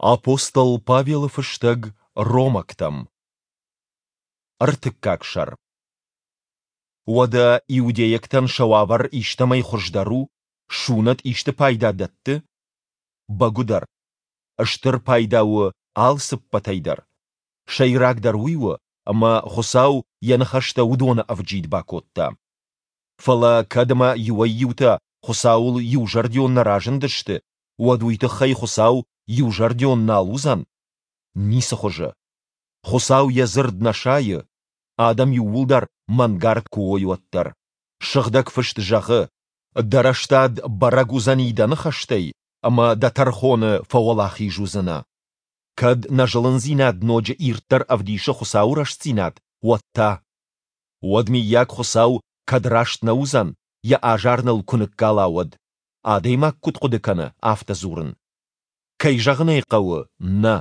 Апостол Павелы фыстӕг Ромӕгтӕм. Ӕртыккаг сӕр. Уӕдӕ иудейӕгтӕн сӕ уавӕр истӕмӕй хуыздӕр у, сунӕт исты пайда дӕтты? Бӕгуыдӕр. Стыр пайда у алцыппӕтӕй дӕр. Сӕйрагдӕр уый у, ӕмӕ Хуыцау йӕ ныхӕстӕ уыдоны ӕвджид бакодта. Фӕлӕ кӕд ӕмӕ иуӕй-иутӕ Хуыцауыл иузӕрдион нӕ разындысты, уӕд уый тыххӕй Хуыцау иузӕрдион нал уыдзӕн? Ницы хуызы. Хуыцау йӕ дзырд нӕ сайы, адӕм иууылдӕр мӕнгард куы уой, уӕддӕр. Сыгъдӕг Фыст зӕгъы: Дӕ рӕстад бӕрӕг уыдзӕни дӕ ныхӕстӕй, ӕмӕ дӕ тӕрхоны фӕуӕлахиз уыдзынӕ. Кӕд нӕ зылындзинад ноджы ирддӕр ӕвдисы Хуыцауы рӕстдзинад, уӕд та? Уӕд, мыййаг, Хуыцау кӕд раст нӕ уыдзӕн, йӕ азар ныл куы ныккала, уӕд? Адӕймаг куыд хъуыды кӕны, афтӕ дзурын. Кӕй зӕгъын ӕй хъӕуы, нӕ.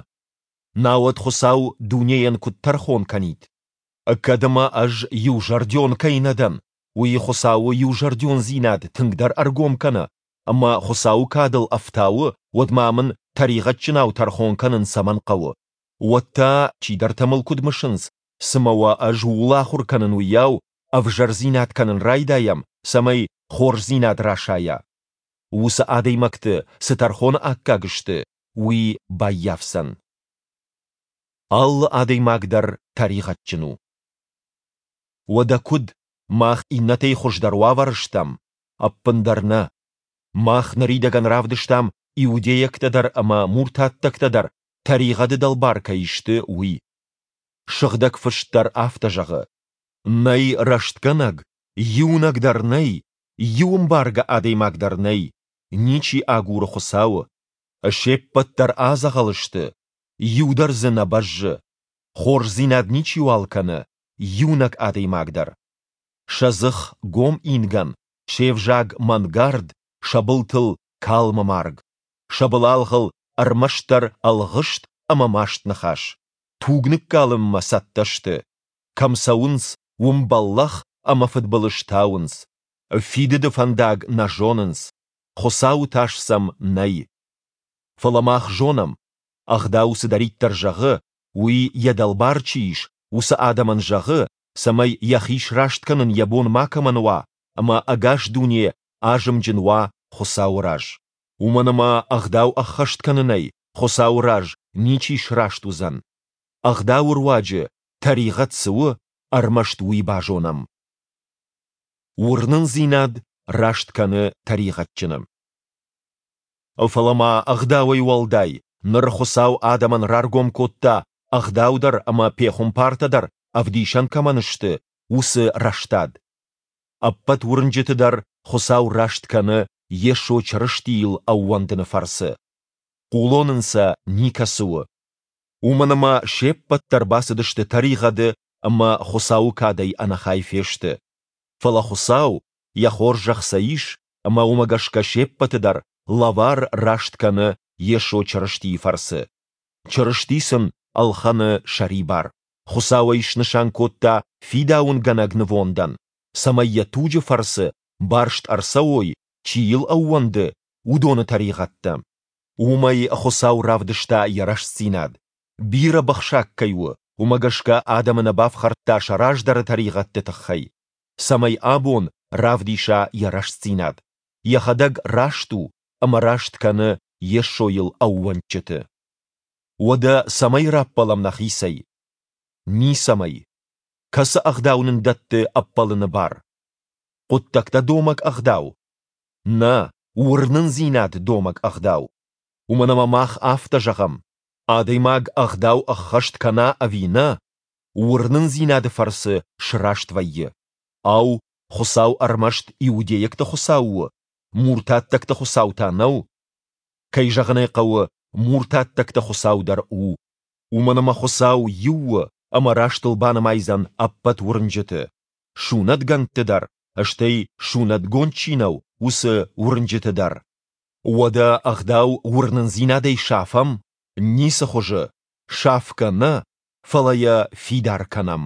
Науӕд Хуыцау дунейӕн куыд тӕрхон кӕнид? Кӕд ӕмӕ ӕз иузӕрдион кӕй нӕ дӕн, уый Хуыцауы иузӕрдиондзинад тынгдӕр ӕргом кӕны ӕмӕ Хуыцауы кадыл ӕфтауы, уӕд ма мын тӕригъӕдджынау тӕрхон кӕнын цӕмӕн хъӕуы? Уӕд та, чидӕртӕ мыл куыд мысынц, цымӕ уӕ ӕз ууыл ахуыр кӕнын уыйау, ӕвзӕрдзинад кӕнын райдайӕм, цӕмӕй хорздзинад расайа? Уыцы адӕймӕгты, цы тӕрхоны аккаг сты, уый баййафдзӕн. Алы адӕймаг дӕр тӕригъӕдджын у. Уӕдӕ куыд, мах иннӕтӕй хуыздӕр уавӕры стӕм? Ӕппындӕр нӕ. Мах ныридӕгӕн равдыстам, иудейӕгтӕ дӕр ӕмӕ муртаттӕгтӕ дӕр тӕригъӕды дӕлбар кӕй сты, уый. Сыгъдӕг Фыст дӕр афтӕ зӕгъы: Нӕй рӕстгӕнӕг, иунӕг дӕр нӕй, иу ӕмбаргӕ адӕймаг дӕр нӕй, ничи агуры Хуыцауы. Се ппӕт дӕр адзӕгъӕл сты, иу дӕр дзы нӕ бӕззы. Хорздзинад ничиуал кӕны, иунӕг адӕймаг дӕр. Сӕ дзых гом ингӕн, се взаг мӕнгард, сӕ былтыл калмы марг. Сӕ былалгъыл ӕрмӕстдӕр ӕлгъыст ӕмӕ маст ныхас. Туг ныккалынмӕ цӕттӕ сты. Кӕм цӕуынц, уым бӕллӕх ӕмӕ фыдбылыз тауынц. Фидыды фӕндаг нӕ зонынц, Хуыцауы тас сӕм нӕй. Фӕлӕ мах зонӕм, Ӕгъдау цыдӕриддӕр зӕгъы, уый йӕ дӕлбар чи ис, уыцы адӕмӕн зӕгъы, цӕмӕй йӕхи сраст кӕнын йӕ бон макӕмӕн уа ӕмӕ ӕгас дуне азымджын уа Хуыцауы раз. Уымӕн ӕмӕ Ӕгъдау ӕххӕст кӕнынӕй Хуыцауы раз ничи сраст уыдзӕн. Ӕгъдауы руаджы, тӕригъӕд цы у, ӕрмӕст уый базонӕм. Уырнындзинад раст кӕны тӕригъӕдджыны. Фӕлӕ ма Ӕгъдауӕй уӕлдай, ныр Хуыцау адӕмӕн раргом кодта, Ӕгъдау дӕр ӕмӕ пехуымпартӕ дӕр ӕвдисӕн кӕмӕн сты, уыцы рӕстад. Ӕппӕт уырнджыты дӕр Хуыцау раст кӕны Йесо Чырыстийыл ӕууӕндыны фӕрцы. Хъулон ын сӕ никӕцы у. Уымӕн ӕмӕ се ппӕт дӕр бацыдысты тӕригъӕды ӕмӕ Хуыцауы кадӕй ӕнӕхай фесты. Фӕлӕ Хуыцау, йӕ хорзӕх сӕ ис, ӕмӕ уымӕ гӕсгӕ се ппӕты дӕр лӕвар раст кӕны Йесо Чырыстийы фӕрцы. Чырысти сын ӕлхӕны сӕрибар. Хуыцау ӕй снысан кодта фидауынгӕнӕг нывондӕн, цӕмӕй йӕ туджы фӕрцы барст ӕрцӕуой, чи йыл ӕууӕнды, уыдоны тӕригъӕдтӕ. Уымӕй Хуыцау равдыста йӕ рӕстдзинад. Бирӕ быхсаг кӕй у, уымӕ гӕсгӕ адӕмы нӕ бафхӕрдта сӕ раздӕры тӕригъӕдты тыххӕй, цӕмӕй абон равдиса йӕ рӕстдзинад, йӕхӕдӕг раст у ӕмӕ раст кӕны Йесойыл ӕууӕндджыты. Уӕдӕ цӕмӕй раппӕлӕм нӕхицӕй? Ницӕмӕй. Кӕцы ӕгъдау нын дӕтты ӕппӕлыны бар? Хъуыддӕгтӕ домӕг ӕгъдау? Нӕ, уырнындзинад домӕг ӕгъдау. Уымӕн ӕмӕ мах афтӕ зӕгъӕм, адӕймаг ӕгъдау ӕххӕст кӕна ӕви нӕ, уырнындзинады фӕрцы сраст вӕййы. Ау, Хуыцау ӕрмӕст иудейӕгты Хуыцау у, муртаттӕгты Хуыцау та нӕу? Кӕй зӕгъын ӕй хъӕуы, муртаттӕгты Хуыцау дӕр у. Уымӕн ӕмӕ Хуыцау иу у ӕмӕ рӕстыл банымайдзӕн ӕппӕт уырнджыты, сунӕтгӕндты дӕр, стӕй сунӕтгонд чи нӕу, уыцы уырнджыты дӕр. Уӕдӕ ӕгъдау уырнындзинадӕй сафӕм? Ницы хуызы! Сафгӕ нӕ, фӕлӕ йӕ фидар кӕнӕм.